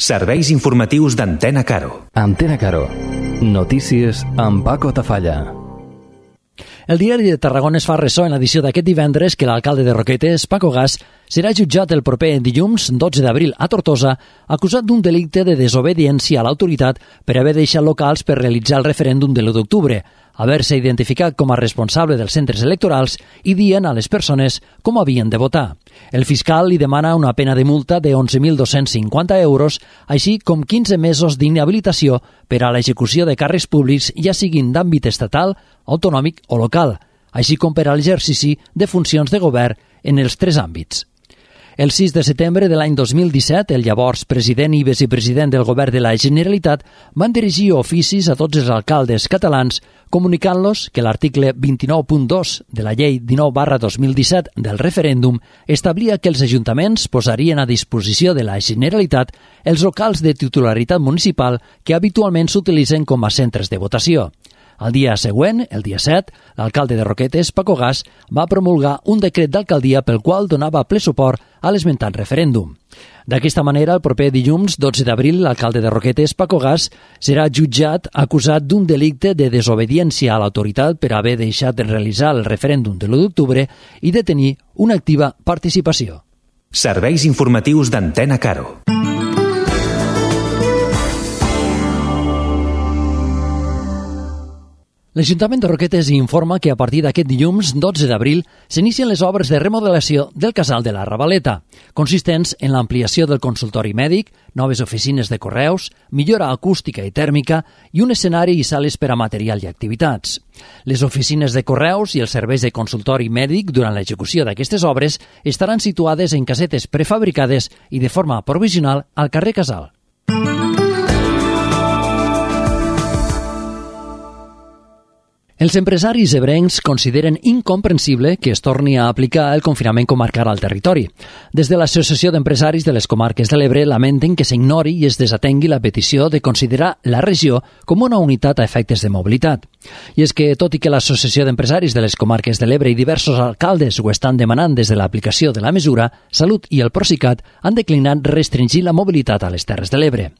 Serveis informatius d'Antena Caro. Antena Caro. Notícies amb Paco Tafalla. El diari de Tarragona es fa ressò en l'edició d'aquest divendres que l'alcalde de Roquetes, Paco Gas, serà jutjat el proper dilluns 12 d'abril a Tortosa, acusat d'un delicte de desobediència a l'autoritat per haver deixat locals per realitzar el referèndum de l'1 d'octubre, haver-se identificat com a responsable dels centres electorals i dient a les persones com havien de votar. El fiscal li demana una pena de multa de 11.250 euros, així com 15 mesos d'inhabilitació per a l'execució de càrrecs públics, ja siguin d'àmbit estatal, autonòmic o local, així com per a l'exercici de funcions de govern en els 3 àmbits. El 6 de setembre de l'any 2017, el llavors president i vicepresident del govern de la Generalitat van dirigir oficis a tots els alcaldes catalans comunicant-los que l'article 29.2 de la llei 19/2017 del referèndum establia que els ajuntaments posarien a disposició de la Generalitat els locals de titularitat municipal que habitualment s'utilitzen com a centres de votació. El dia següent, el dia 7, l'alcalde de Roquetes, Paco Gas, va promulgar un decret d'alcaldia pel qual donava ple suport a l'esmentat referèndum. D'aquesta manera, el proper dilluns 12 d'abril, l'alcalde de Roquetes, Paco Gas, serà jutjat acusat d'un delicte de desobediència a l'autoritat per haver deixat de realitzar el referèndum de l'1 d'octubre i de tenir una activa participació. Serveis informatius d'Antena Caro. L'Ajuntament de Roquetes informa que a partir d'aquest dilluns 12 d'abril s'inicien les obres de remodelació del casal de la Ravaleta, consistents en l'ampliació del consultori mèdic, noves oficines de correus, millora acústica i tèrmica i un escenari i sales per a material i activitats. Les oficines de correus i els serveis de consultori mèdic durant l'execució d'aquestes obres estaran situades en casetes prefabricades i de forma provisional al carrer Casal. Els empresaris ebrencs consideren incomprensible que es torni a aplicar el confinament comarcal al territori. Des de l'Associació d'Empresaris de les Comarques de l'Ebre lamenten que s'ignori i es desatengui la petició de considerar la regió com una unitat a efectes de mobilitat. I és que, tot i que l'Associació d'Empresaris de les Comarques de l'Ebre i diversos alcaldes ho estan demanant des de l'aplicació de la mesura, Salut i el Procicat han declinat restringir la mobilitat a les Terres de l'Ebre.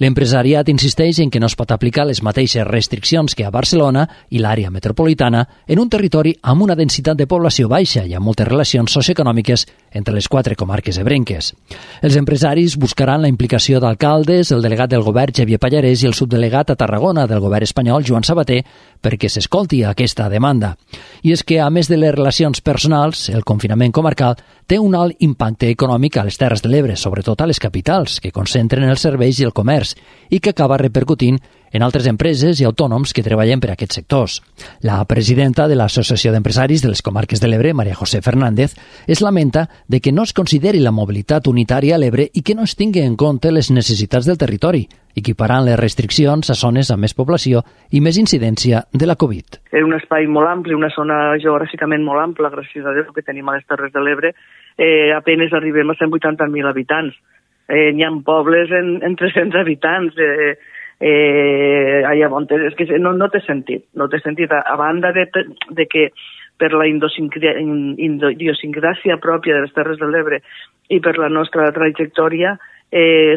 L'empresariat insisteix en que no es pot aplicar les mateixes restriccions que a Barcelona i l'àrea metropolitana en un territori amb una densitat de població baixa i amb moltes relacions socioeconòmiques entre les 4 comarques ebrenques. Els empresaris buscaran la implicació d'alcaldes, el delegat del govern Xavier Pallarès i el subdelegat a Tarragona del govern espanyol Joan Sabater perquè s'escolti aquesta demanda. I és que, a més de les relacions personals, el confinament comarcal té un alt impacte econòmic a les Terres de l'Ebre, sobretot a les capitals, que concentren els serveis i el comerç, i que acaba repercutint en altres empreses i autònoms que treballen per a aquests sectors. La presidenta de l'Associació d'Empresaris de les Comarques de l'Ebre, María José Fernández, es lamenta de que no es consideri la mobilitat unitària a l'Ebre i que no es tingui en compte les necessitats del territori, equiparant les restriccions a zones amb més població i més incidència de la Covid. És un espai molt ampli, una zona geogràficament molt ampla, gràcies a Déu que tenim a les Terres de l'Ebre, apenas arribem a 180.000 habitants. N'hi ha pobles en 300 habitants, és que no té sentit, a banda de que per la idiosincràsia pròpia de les Terres de l'Ebre i per la nostra trajectòria,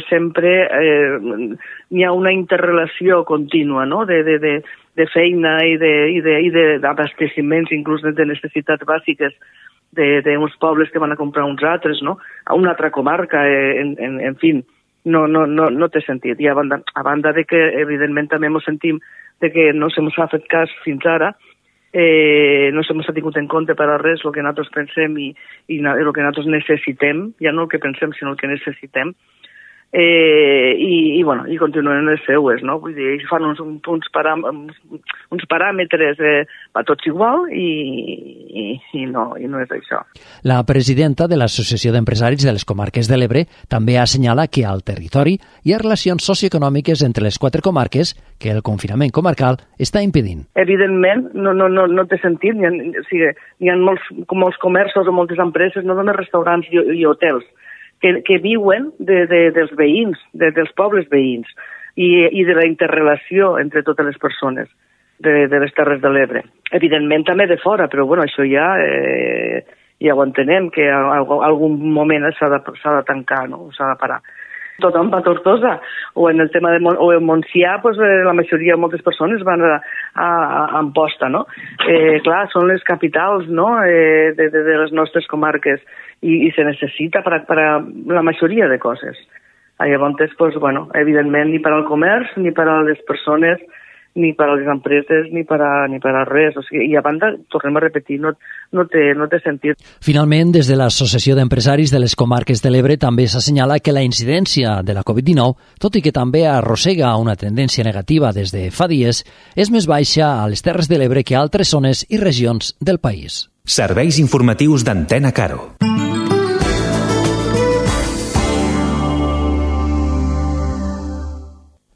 sempre hi ha una interrelació contínua, no? de feina i d'abasteciments, inclús de necessitats bàsiques d'uns pobles que van a comprar uns altres, no? A una altra comarca, en fi, no té sentit. I a banda de que, evidentment, també ens sentim de que no se ens ha fet cas fins ara, no se ens ha tingut en compte per a res el que nosaltres pensem i el que nosaltres necessitem, ja no el que pensem, sinó el que necessitem, i continuen les seues, no? Vull dir, fan uns paràmetres a tots igual i no és això. La presidenta de l'Associació d'Empresaris de les Comarques de l'Ebre també assenyala que al territori hi ha relacions socioeconòmiques entre les 4 comarques que el confinament comarcal està impedint. Evidentment, no té sentit. Hi ha molts comerços o moltes empreses, no només restaurants i hotels, que viuen dels veïns, dels pobles veïns i de la interrelació entre totes les persones de les Terres de l'Ebre. Evidentment també de fora, però bueno, això ja ho entenem, que en algun moment s'ha de tancar, no? S'ha de parar. tothom va a Tortosa, o en el tema de o en Montsià, pues, la majoria, moltes persones van a Amposta, no? Clar, són les capitals, no?, de les nostres comarques i se necessita per a la majoria de coses. Llavors, pues, bueno, evidentment, ni per al comerç, ni per a les persones, ni per a les empreses, ni per a res. O sigui, i a banda, tornem a repetir, no té sentit. Finalment, des de l'Associació d'Empresaris de les Comarques de l'Ebre també s'assenyala que la incidència de la Covid-19, tot i que també arrossega una tendència negativa des de fa dies, és més baixa a les Terres de l'Ebre que a altres zones i regions del país. Serveis informatius d'Antena Caro.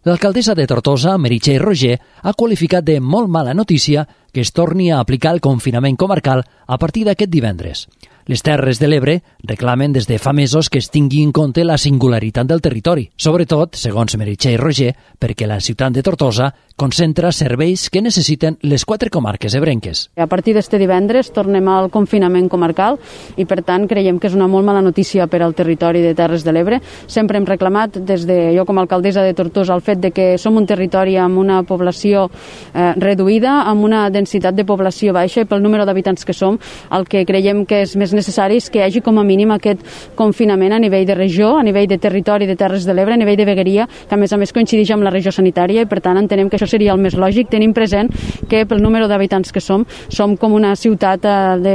L'alcaldessa de Tortosa, Meritxell Roger, ha qualificat de molt mala notícia que es torni a aplicar el confinament comarcal a partir d'aquest divendres. Les Terres de l'Ebre reclamen des de fa mesos que es tingui en compte la singularitat del territori, sobretot, segons Meritxell Roger, perquè la ciutat de Tortosa concentra serveis que necessiten les 4 comarques ebrenques. A partir d'este divendres tornem al confinament comarcal i, per tant, creiem que és una molt mala notícia per al territori de Terres de l'Ebre. Sempre hem reclamat, des de jo com a alcaldessa de Tortosa, el fet de que som un territori amb una població reduïda, amb una densitat de població baixa i pel número d'habitants que som, el que creiem que és més necessari és que hi hagi com a mínim aquest confinament a nivell de regió, a nivell de territori de Terres de l'Ebre, a nivell de vegueria, que a més coincideix amb la regió sanitària i per tant entenem que això seria el més lògic, tenim present que pel número d'habitants que som com una ciutat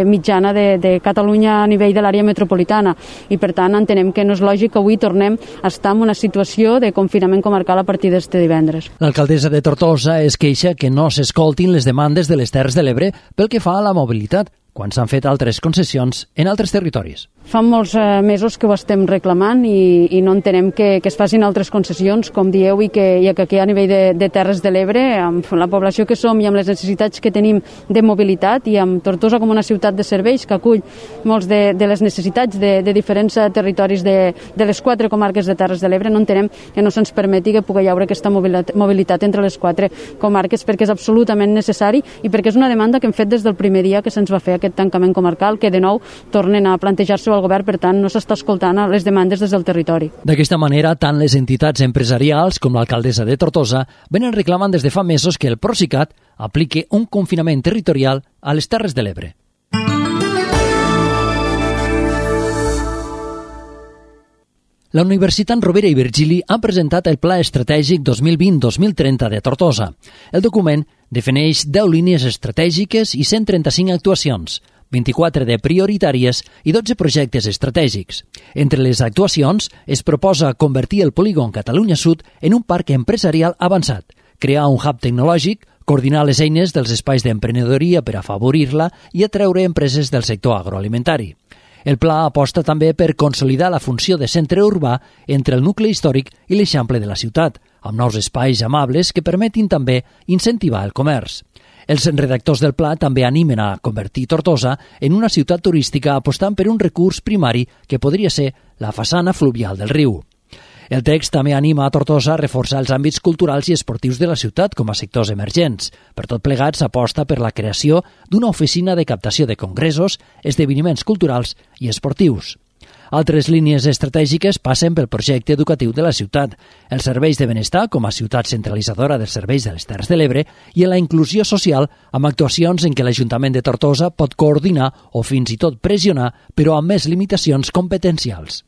mitjana de Catalunya a nivell de l'àrea metropolitana i per tant entenem que no és lògic que avui tornem a estar en una situació de confinament comarcal a partir d'este divendres. L'alcaldessa de Tortosa es queixa que no s'escoltin les demandes de les Terres de l'Ebre pel que fa a la mobilitat, quan s'han fet altres concessions en altres territoris. Fa molts mesos que ho estem reclamant i no entenem que es facin altres concessions, com dieu, i que aquí a nivell de Terres de l'Ebre, amb la població que som i amb les necessitats que tenim de mobilitat i amb Tortosa com una ciutat de serveis que acull molts de les necessitats de diferents territoris de les 4 comarques de Terres de l'Ebre, no entenem que no se'ns permeti que pugui haure aquesta mobilitat entre les 4 comarques perquè és absolutament necessari i perquè és una demanda que hem fet des del primer dia que se'ns va fer aquest tancament comarcal, que de nou tornen a plantejar-se al govern, per tant no s'està escoltant les demandes des del territori. D'aquesta manera, tant les entitats empresarials com l'alcaldessa de Tortosa venen reclamant des de fa mesos que el Procicat apliqui un confinament territorial a les Terres de l'Ebre. La Universitat Rovira i Virgili ha presentat el Pla Estratègic 2020-2030 de Tortosa. El document defineix 10 línies estratègiques i 135 actuacions, 24 de prioritàries i 12 projectes estratègics. Entre les actuacions es proposa convertir el polígon Catalunya Sud en un parc empresarial avançat, crear un hub tecnològic, coordinar les eines dels espais d'emprenedoria per afavorir-la i atreure empreses del sector agroalimentari. El pla aposta també per consolidar la funció de centre urbà entre el nucli històric i l'eixample de la ciutat, amb nous espais amables que permetin també incentivar el comerç. Els redactors del pla també animen a convertir Tortosa en una ciutat turística apostant per un recurs primari que podria ser la façana fluvial del riu. El text també anima a Tortosa a reforçar els àmbits culturals i esportius de la ciutat com a sectors emergents. Per tot plegat, s'aposta per la creació d'una oficina de captació de congressos, esdeveniments culturals i esportius. Altres línies estratègiques passen pel projecte educatiu de la ciutat, els serveis de benestar com a ciutat centralitzadora dels serveis de les Terres de l'Ebre i en la inclusió social amb actuacions en què l'Ajuntament de Tortosa pot coordinar o fins i tot pressionar, però amb més limitacions competencials.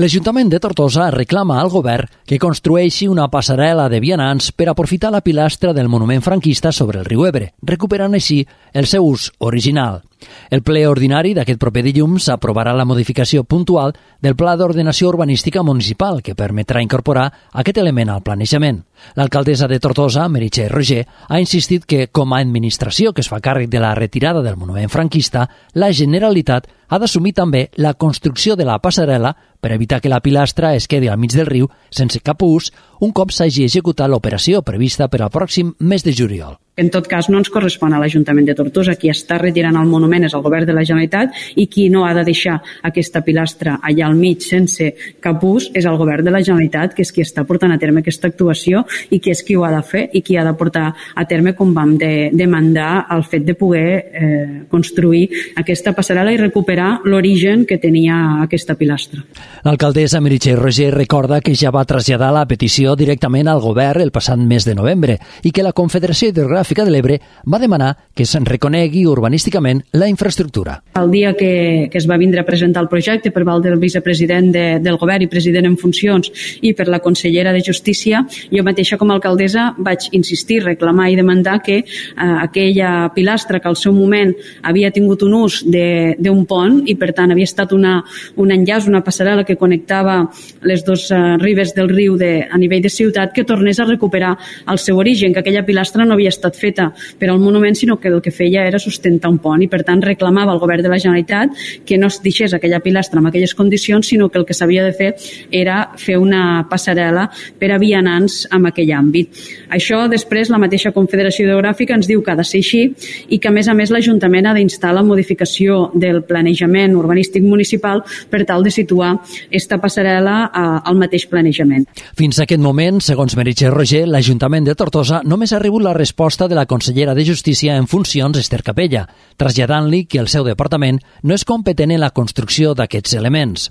L'Ajuntament de Tortosa reclama al govern que construeixi una passarel·la de vianants per aprofitar la pilastra del monument franquista sobre el riu Ebre, recuperant així el seu ús original. El ple ordinari d'aquest proper dilluns aprovarà la modificació puntual del Pla d'Ordenació Urbanística Municipal que permetrà incorporar aquest element al planejament. L'alcaldessa de Tortosa, Meritxell Roger, ha insistit que, com a administració que es fa càrrec de la retirada del monument franquista, la Generalitat ha d'assumir també la construcció de la passarel·la per evitar que la pilastra es quedi al mig del riu sense cap ús un cop s'hagi executat l'operació prevista per al pròxim mes de juliol. En tot cas, no ens correspon a l'Ajuntament de Tortosa. Qui està retirant el monument és el govern de la Generalitat i qui no ha de deixar aquesta pilastra allà al mig sense cap ús és el govern de la Generalitat, que és qui està portant a terme aquesta actuació i qui és qui ho ha de fer i qui ha de portar a terme, com vam demandar, el fet de poder construir aquesta passarel·la i recuperar l'origen que tenia aquesta pilastra. L'alcaldessa Meritxell Roger recorda que ja va traslladar la petició directament al govern el passat mes de novembre i que la Confederació Hidrogràfica de l'Ebre va demanar que se'n reconegui urbanísticament la infraestructura. El dia que es va vindre a presentar el projecte per part del vicepresident del govern i president en funcions i per la consellera de Justícia, jo mateixa com a alcaldessa vaig insistir, reclamar i demandar que aquella pilastra que al seu moment havia tingut un ús d'un pont i per tant havia estat un enllaç, una passarel·la que connectava les dues ribes del riu a nivell de ciutat, que tornés a recuperar el seu origen, que aquella pilastra no havia estat feta per al monument, sinó que el que feia era sustentar un pont i per tant reclamava al govern de la Generalitat que no es deixés aquella pilastra en aquelles condicions, sinó que el que s'havia de fer era fer una passarel·la per a vianants en aquell àmbit. Això després la mateixa Confederació Hidrogràfica ens diu que ha de ser així i que a més l'Ajuntament ha d'instar la modificació del planejament urbanístic municipal per tal de situar aquesta passarel·la al mateix planejament. Fins a aquest moment, segons Meritxell Roger, l'Ajuntament de Tortosa només ha rebut la resposta de la consellera de Justícia en funcions, Esther Capella, traslladant-li que el seu departament no és competent en la construcció d'aquests elements.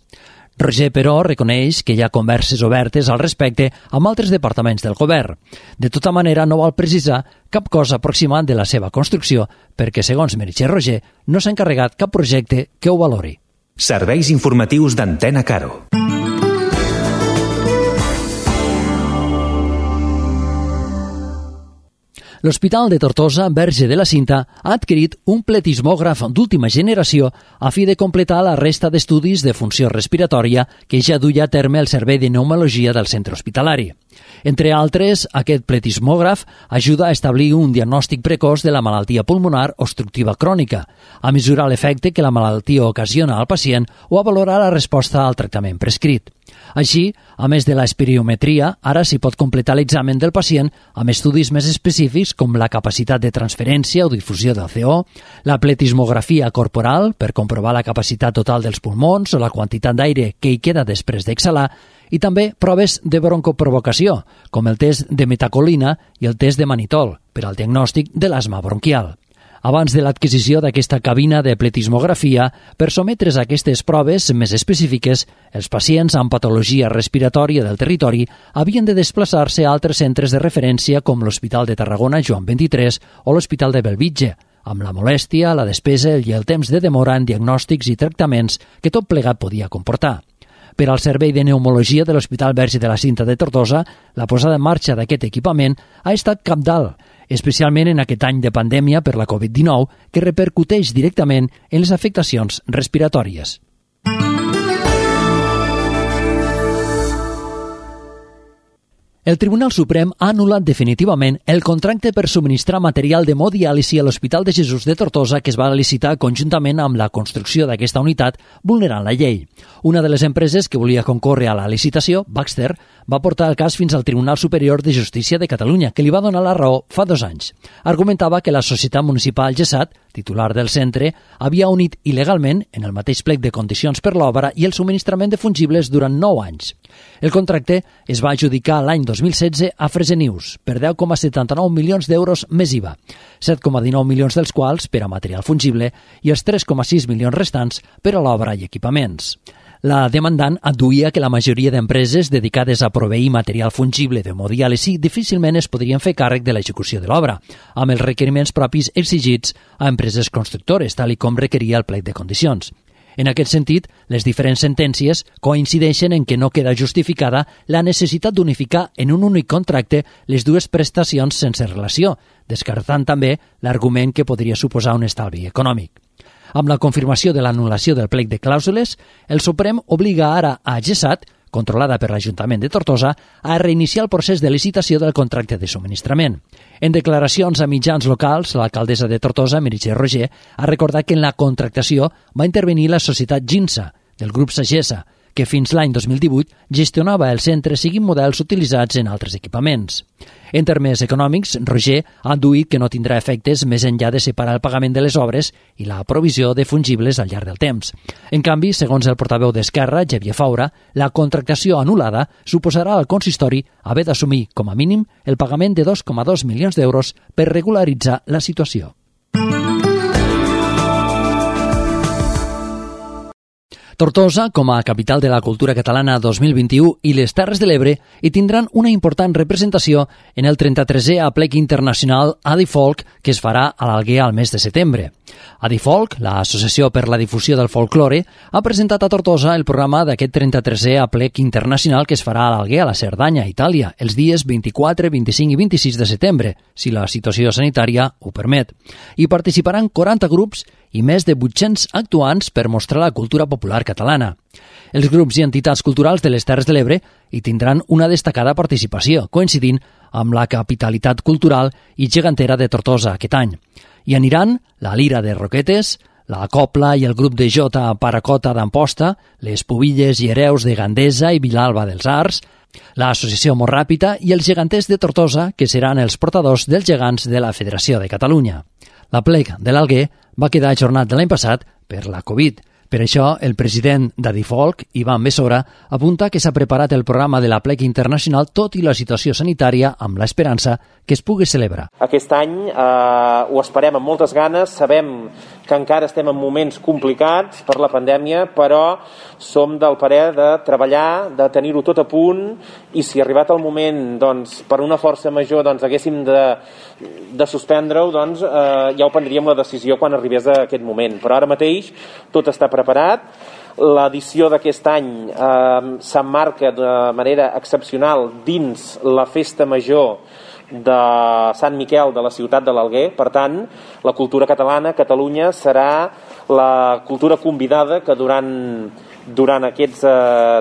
Roger, però, reconeix que hi ha converses obertes al respecte amb altres departaments del govern. De tota manera, no vol precisar cap cosa aproximant de la seva construcció perquè, segons Meritxell Roger, no s'ha encarregat cap projecte que ho valori. Serveis informatius d'Antena Caro. L'Hospital de Tortosa, Verge de la Cinta, ha adquirit un pletismògraf d'última generació a fi de completar la resta d'estudis de funció respiratòria que ja duia a terme el Servei de Pneumologia del centre hospitalari. Entre altres, aquest pletismògraf ajuda a establir un diagnòstic precoç de la malaltia pulmonar obstructiva crònica, a mesurar l'efecte que la malaltia ocasiona al pacient o a valorar la resposta al tractament prescrit. Així, a més de l'espirometria, ara s'hi pot completar l'examen del pacient amb estudis més específics com la capacitat de transferència o difusió del CO, la pletismografia corporal per comprovar la capacitat total dels pulmons o la quantitat d'aire que hi queda després d'exhalar, i també proves de broncoprovocació, com el test de metacolina i el test de manitol, per al diagnòstic de l'asma bronquial. Abans de l'adquisició d'aquesta cabina de pletismografia, per sometre's a aquestes proves més específiques, els pacients amb patologia respiratòria del territori havien de desplaçar-se a altres centres de referència com l'Hospital de Tarragona Joan XXIII o l'Hospital de Bellvitge, amb la molèstia, la despesa i el temps de demora en diagnòstics i tractaments que tot plegat podia comportar. Per al Servei de Pneumologia de l'Hospital Verge de la Cinta de Tortosa, la posada en marxa d'aquest equipament ha estat cabdal, especialment en aquest any de pandèmia per la Covid-19, que repercuteix directament en les afectacions respiratòries. El Tribunal Suprem ha anul·lat definitivament el contracte per subministrar material d'hemodiàlisi a l'Hospital de Jesús de Tortosa que es va licitar conjuntament amb la construcció d'aquesta unitat, vulnerant la llei. Una de les empreses que volia concórrer a la licitació, Baxter, va portar el cas fins al Tribunal Superior de Justícia de Catalunya, que li va donar la raó fa 2 anys. Argumentava que la Societat Municipal GESAT, titular del centre, havia unit il·legalment, en el mateix plec de condicions per l'obra i el subministrament de fungibles durant 9 anys. El contracte es va adjudicar l'any 2016 a Fresenius per 10,79 milions d'euros més IVA, 7,19 milions dels quals per a material fungible i els 3,6 milions restants per a l'obra i equipaments. La demandant adduïa que la majoria d'empreses dedicades a proveir material fungible d'hemodiàlisi difícilment es podrien fer càrrec de l'execució de l'obra, amb els requeriments propis exigits a empreses constructores, tal com requeria el plec de condicions. En aquest sentit, les diferents sentències coincideixen en que no queda justificada la necessitat d'unificar en un únic contracte les dues prestacions sense relació, descartant també l'argument que podria suposar un estalvi econòmic. Amb la confirmació de l'anul·lació del plec de clàusules, el Suprem obliga ara a GESAT, controlada per l'Ajuntament de Tortosa, a reiniciar el procés de licitació del contracte de subministrament. En declaracions a mitjans locals, l'alcaldessa de Tortosa, Meritxell Roger, ha recordat que en la contractació va intervenir la societat GINSA, del grup Sagessa, que fins l'any 2018 gestionava el centre siguin models utilitzats en altres equipaments. En termes econòmics, Roger ha adduït que no tindrà efectes més enllà de separar el pagament de les obres i la provisió de fungibles al llarg del temps. En canvi, segons el portaveu d'Esquerra, Xavier Faura, la contractació anul·lada suposarà al consistori haver d'assumir, com a mínim, el pagament de 2,2 milions d'euros per regularitzar la situació. Tortosa, com a capital de la cultura catalana 2021, i les Terres de l'Ebre hi tindran una important representació en el 33è Aplec Internacional Adifolk, que es farà a l'Alguer al mes de setembre. Adifolk, l'Associació per la Difusió del Folklore, ha presentat a Tortosa el programa d'aquest 33è Aplec Internacional que es farà a l'Alguer, a la Cerdanya, Itàlia, els dies 24, 25 i 26 de setembre, si la situació sanitària ho permet. Hi participaran 40 grups i més de 800 actuants per mostrar la cultura popular catalana. Els grups i entitats culturals de les Terres de l'Ebre hi tindran una destacada participació, coincidint amb la capitalitat cultural i gegantera de Tortosa aquest any. Hi aniran la Lira de Roquetes, la Copla i el grup de Jota Paracota d'Amposta, les Pubilles i Hereus de Gandesa i Vilalba dels Arts, l'Associació Morràpita i els geganters de Tortosa, que seran els portadors dels gegants de la Federació de Catalunya. L'aplec de l'Alguer va quedar ajornat de l'any passat per la Covid. Per això, el president d'Adifolk, Ivan Besora, apunta que s'ha preparat el programa de l'Aplec Internacional tot i la situació sanitària amb l'esperança que es pugui celebrar. Aquest any ho esperem amb moltes ganes, sabem que encara estem en moments complicats per la pandèmia, però som del parer de treballar, de tenir-ho tot a punt, i si arribat el moment, doncs, per una força major, doncs, haguéssim de suspendre-ho, doncs, ja ho prendríem la decisió quan arribés a aquest moment. Però ara mateix tot està preparat. L'edició d'aquest any s'emmarca de manera excepcional dins la festa major de Sant Miquel de la ciutat de l'Alguer. Per tant, la cultura catalana, Catalunya, serà la cultura convidada que durant aquests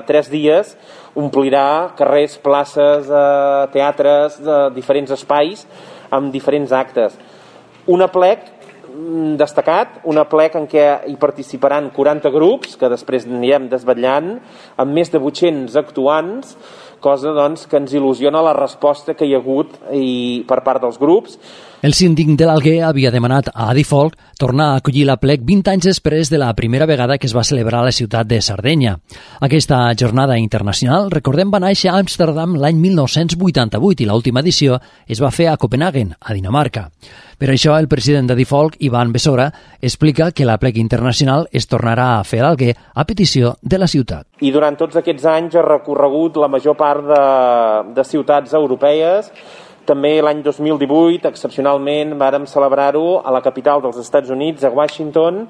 3 dies omplirà carrers, places, teatres, diferents espais amb diferents actes. Un aplec destacat, un aplec en què hi participaran 40 grups, que després anirem desvetllant, amb més de 800 actuants, cosa doncs, que ens il·lusiona la resposta que hi ha hagut per part dels grups. El síndic de l'Alguer havia demanat a Adifolk tornar a acollir l'aplec 20 anys després de la primera vegada que es va celebrar a la ciutat de Sardenya. Aquesta jornada internacional, recordem, va néixer a Amsterdam l'any 1988 i l'última edició es va fer a Copenhagen, a Dinamarca. Per això, el president d'Adifolk, Ivan Besora, explica que l'aplec internacional es tornarà a fer a l'Alguer a petició de la ciutat. I durant tots aquests anys ha recorregut la major part de ciutats europees. També l'any 2018, excepcionalment, vàrem celebrar-ho a la capital dels Estats Units, a Washington,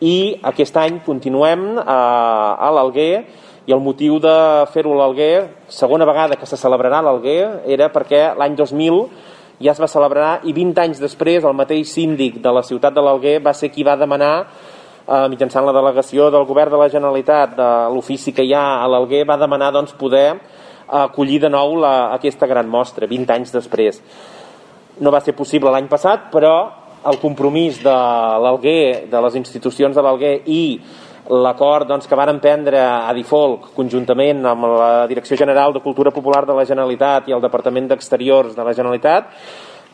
i aquest any continuem a l'Alguer, i el motiu de fer-ho a l'Alguer, segona vegada que se celebrarà a l'Alguer, era perquè l'any 2000 ja es va celebrar i 20 anys després el mateix síndic de la ciutat de l'Alguer va ser qui va demanar, mitjançant la delegació del govern de la Generalitat, de l'ofici que hi ha a l'Alguer, va demanar doncs, poder acollir de nou aquesta gran mostra, 20 anys després. No va ser possible l'any passat, però el compromís de l'Alguer, de les institucions de l'Alguer i l'acord doncs, que varen prendre a Adifolk conjuntament amb la Direcció General de Cultura Popular de la Generalitat i el Departament d'Exteriors de la Generalitat,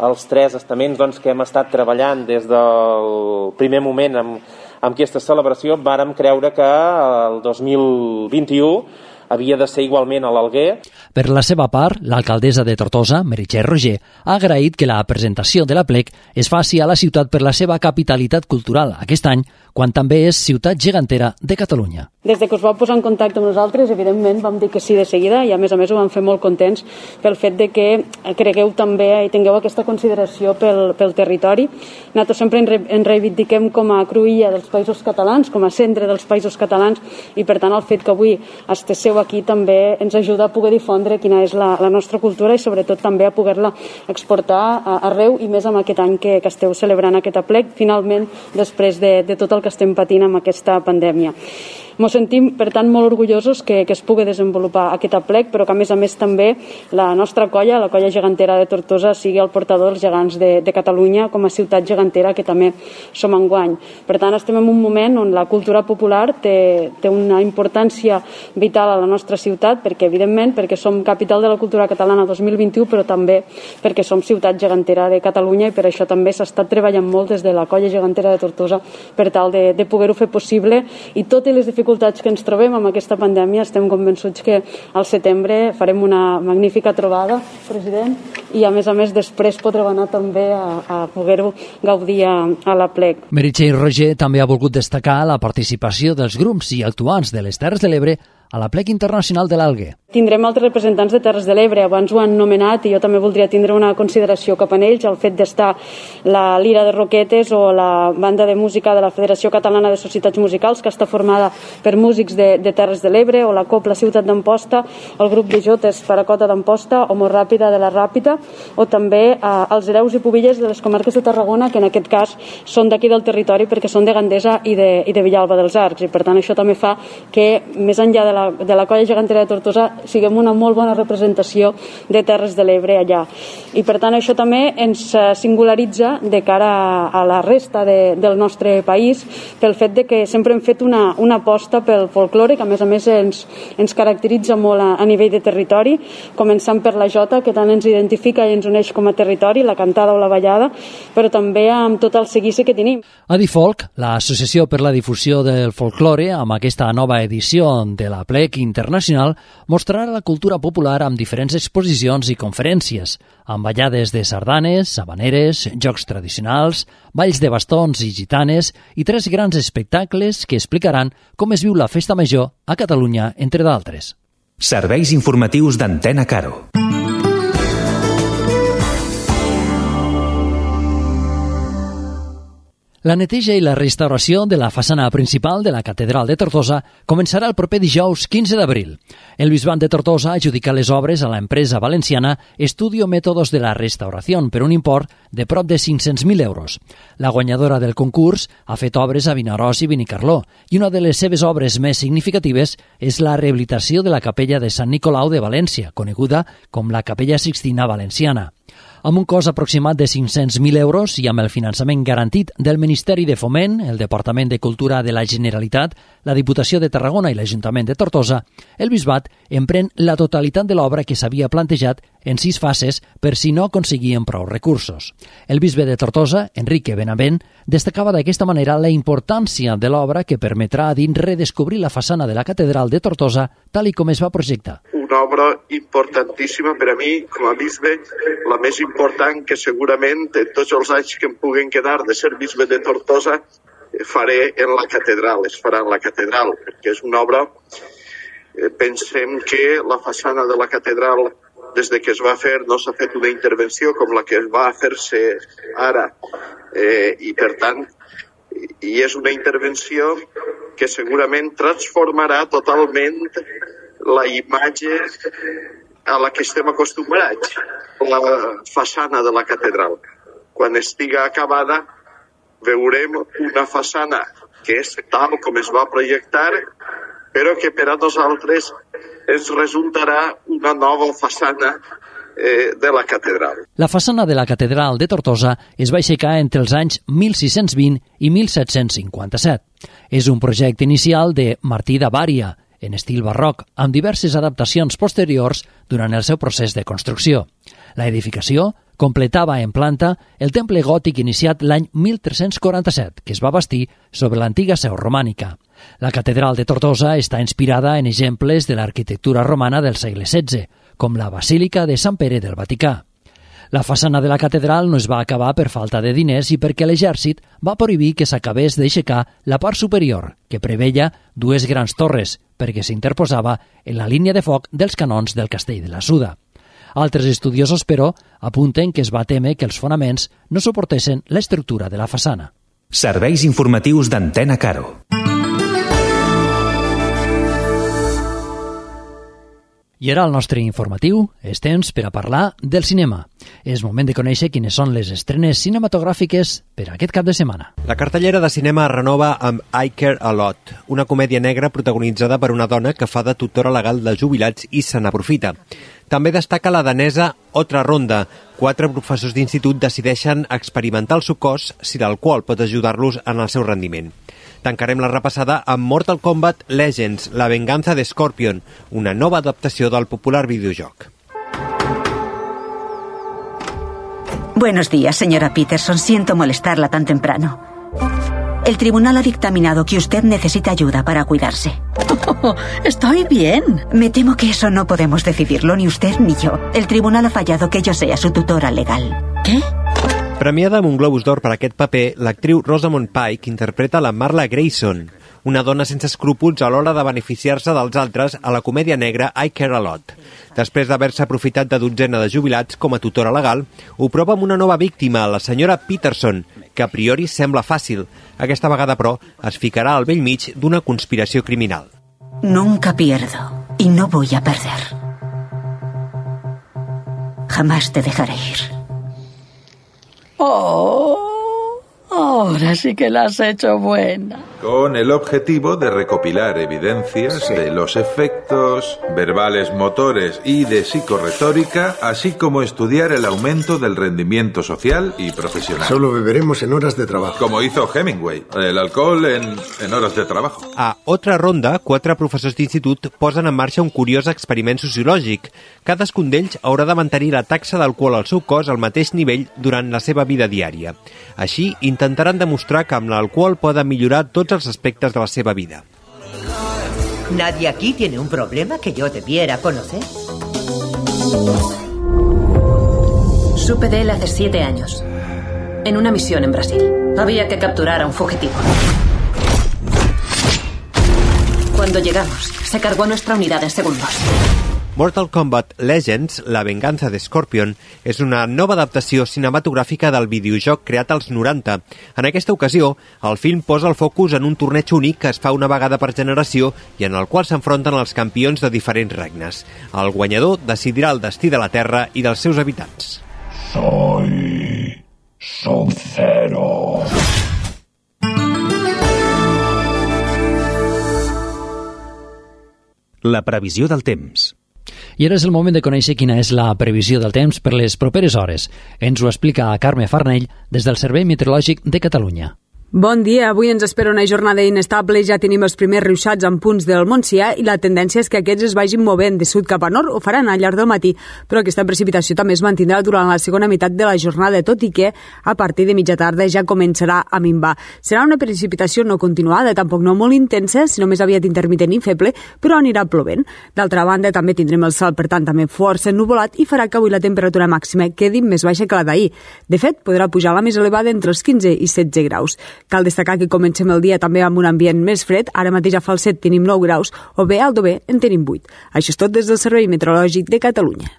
els 3 estaments doncs, que hem estat treballant des del primer moment amb aquesta celebració, vàrem creure que el 2021 havia de ser igualment a l'Alguer. Per la seva part, l'alcaldessa de Tortosa, Meritxell Roger, ha agraït que la presentació de l'aplec es faci a la ciutat per la seva capitalitat cultural aquest any, quan també és ciutat gegantera de Catalunya. Des que us vau posar en contacte amb nosaltres, evidentment vam dir que sí de seguida i a més ho vam fer molt contents pel fet de que cregueu també i tingueu aquesta consideració pel territori. Nosaltres sempre ens reivindiquem com a cruïlla dels països catalans, com a centre dels països catalans, i per tant el fet que avui estigueu aquí també ens ajuda a poder difondre quina és la nostra cultura i sobretot també a poder-la exportar arreu i més amb aquest any que esteu celebrant aquest aplec, finalment després de tot el que estem patint amb aquesta pandèmia. Ens sentim, per tant, molt orgullosos que es pugui desenvolupar aquest aplec, però que, a més també, la nostra colla, la colla gegantera de Tortosa, sigui el portador dels gegants de Catalunya com a ciutat gegantera, que també som enguany. Per tant, estem en un moment on la cultura popular té una importància vital a la nostra ciutat, perquè, evidentment, perquè som capital de la cultura catalana 2021, però també perquè som ciutat gegantera de Catalunya, i per això també s'ha estat treballant molt des de la colla gegantera de Tortosa per tal de poder-ho fer possible, i tot i les dificultats que ens trobem amb aquesta pandèmia, estem convençuts que al setembre farem una magnífica trobada, president, i a més després podreu anar també a poder-ho gaudir a l'Aplec. Meritxell Roger també ha volgut destacar la participació dels grups i actuants de les Terres de l'Ebre a l'Aplec Internacional de l'Algue. Tindrem altres representants de Terres de l'Ebre, abans ho han nomenat, i jo també voldria tindre una consideració cap a ells, el fet d'estar la Lira de Roquetes o la banda de música de la Federació Catalana de Societats Musicals, que està formada per músics de Terres de l'Ebre, o la Copla Ciutat d'Amposta, el grup de jotes Paracota d'Amposta, o Mort Ràpida de la Ràpita, o també els hereus i pubilles de les comarques de Tarragona, que en aquest cas són d'aquí del territori perquè són de Gandesa i de Villalba dels Arcs, i per tant això també fa que, més enllà de la colla gegantera de Tortosa, siguem una molt bona representació de Terres de l'Ebre allà. I per tant això també ens singularitza de cara a la resta del nostre país, pel fet de que sempre hem fet una aposta pel folklore, que a més ens caracteritza molt a nivell de territori, començant per la jota, que tant ens identifica i ens uneix com a territori, la cantada o la ballada, però també amb tot el seguici que tenim. Adifolk, l'Associació per la Difusió del Folklore, amb aquesta nova edició de l'Aplec Internacional, mostrarà la cultura popular amb diferents exposicions i conferències, amb ballades de sardanes, habaneres, jocs tradicionals, balls de bastons i gitanes i 3 grans espectacles que explicaran com es viu la Festa Major a Catalunya, entre d'altres. Serveis informatius d'Antena Caro. La neteja i la restauració de la façana principal de la Catedral de Tortosa començarà el proper dijous 15 d'abril. El Bisbat de Tortosa ha adjudicat les obres a l'empresa valenciana Estudio Métodos de la Restauración per un import de prop de 500.000 euros. La guanyadora del concurs ha fet obres a Vinaròs i Benicarló, i una de les seves obres més significatives és la rehabilitació de la capella de Sant Nicolau de València, coneguda com la Capella Sixtina Valenciana. Amb un cost aproximat de 500.000 euros i amb el finançament garantit del Ministeri de Foment, el Departament de Cultura de la Generalitat, la Diputació de Tarragona i l'Ajuntament de Tortosa, el Bisbat emprèn la totalitat de l'obra que s'havia plantejat en 6 fases per si no aconseguien prou recursos. El bisbe de Tortosa, Enrique Benavent, destacava d'aquesta manera la importància de l'obra que permetrà a dins redescobrir la façana de la Catedral de Tortosa tal i com es va projectar. Una obra importantíssima per a mi, com a bisbe, la més important que segurament en tots els anys que em puguen quedar de ser bisbe de Tortosa faré en la catedral, es farà en la catedral, perquè és una obra, pensem que la façana de la catedral, des de que es va fer, no s'ha fet una intervenció com la que va fer-se ara, i per tant, i és una intervenció que segurament transformarà totalment la imatge a la que estem acostumbrats, la façana de la catedral. Quan estiga acabada, veurem una façana que és tal com es va projectar, però que per a nosaltres ens resultarà una nova façana de la catedral. La façana de la Catedral de Tortosa es va aixecar entre els anys 1620 i 1757. És un projecte inicial de Martí de Bària, en estil barroc, amb diverses adaptacions posteriors durant el seu procés de construcció. La edificació completava en planta el temple gòtic iniciat l'any 1347, que es va bastir sobre l'antiga seu romànica. La Catedral de Tortosa està inspirada en exemples de l'arquitectura romana del segle XVI, com la Basílica de Sant Pere del Vaticà. La façana de la catedral no es va acabar per falta de diners i perquè l'exèrcit va prohibir que s'acabés d'aixecar la part superior, que preveia 2 grans torres, perquè s'interposava en la línia de foc dels canons del castell de la Suda. Altres estudiosos, però, apunten que es va témer que els fonaments no suportessin l'estructura de la façana. Serveis informatius d'Antena Caro. I ara al nostre informatiu és temps per a parlar del cinema. És moment de conèixer quines són les estrenes cinematogràfiques per a aquest cap de setmana. La cartellera de cinema es renova amb I Care a Lot, una comèdia negra protagonitzada per una dona que fa de tutora legal de jubilats i se n'aprofita. També destaca la danesa Otra Ronda. 4 professors d'institut decideixen experimentar el seu cos si l'alcohol pot ajudar-los en el seu rendiment. Tancarem la repassada amb Mortal Kombat Legends, la venganza de Scorpion, una nova adaptació del popular videojoc. Buenos días, señora Peterson. Siento molestarla tan temprano. El tribunal ha dictaminado que usted necesita ayuda para cuidarse. Estoy bien. Me temo que eso no podemos decidirlo, ni usted ni yo. El tribunal ha fallado que yo sea su tutora legal. ¿Qué? Premiada amb un Globus d'Or per aquest paper, l'actriu Rosamund Pike interpreta la Marla Grayson, una dona sense escrúpols a l'hora de beneficiar-se dels altres a la comèdia negra I Care a Lot. Després d'haver-se aprofitat de dotzena de jubilats com a tutora legal, ho prova amb una nova víctima, la senyora Peterson, que a priori sembla fàcil. Aquesta vegada, però, es ficarà al bell mig d'una conspiració criminal. Nunca pierdo y no voy a perder. Jamás te dejaré ir. Oh, ahora sí que la has hecho buena. Con el objetivo de recopilar evidencias de los efectos verbales motores y de psicorretórica, así como estudiar el aumento del rendimiento social y profesional. Solo beberemos en horas de trabajo. Como hizo Hemingway, el alcohol en horas de trabajo. A Otra Ronda, 4 professors d'institut posen en marxa un curiós experiment sociològic. Cadascun d'ells haurà de mantenir la taxa d'alcohol al seu cos al mateix nivell durant la seva vida diària. Així, intentaran demostrar que amb l'alcohol poden millorar tots els aspectes de la seva vida. ¿Nadie aquí tiene un problema que yo debiera conocer? Supe de él hace 7 años, en una misión en Brasil. Había que capturar a un fugitivo. Cuando llegamos, se cargó a nuestra unidad en segundos. Mortal Kombat Legends, la venganza de Scorpion, és una nova adaptació cinematogràfica del videojoc creat als 90. En aquesta ocasió, el film posa el focus en un torneig únic que es fa una vegada per generació i en el qual s'enfronten els campions de diferents regnes. El guanyador decidirà el destí de la Terra i dels seus habitants. Soy Sub-Zero. La previsió del temps. I ara és el moment de conèixer quina és la previsió del temps per les properes hores. Ens ho explica Carme Farnell des del Servei Meteorològic de Catalunya. Bon dia, avui ens espera una jornada inestable, ja tenim els primers ruixats en punts del Montsià i la tendència és que aquests es vagin movent de sud cap a nord, ho faran al llarg del matí, però aquesta precipitació també es mantindrà durant la segona meitat de la jornada, tot i que a partir de mitja tarda ja començarà a minvar. Serà una precipitació no continuada, tampoc no molt intensa, sinó més aviat intermitent i feble, però anirà plovent. D'altra banda, també tindrem el cel, per tant, també força ennuvolat i farà que avui la temperatura màxima quedi més baixa que la d'ahir. De fet, podrà pujar la més elevada entre els 15 i 16 graus. Cal destacar que comencem el dia també amb un ambient més fred. Ara mateix a Falset tenim 9 graus, o bé a Aldover en tenim 8. Això és tot des del Servei Meteorològic de Catalunya.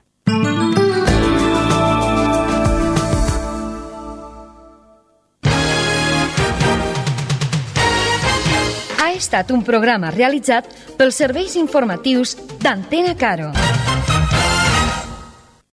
Ha estat un programa realitzat pels serveis informatius d'Antena Caro.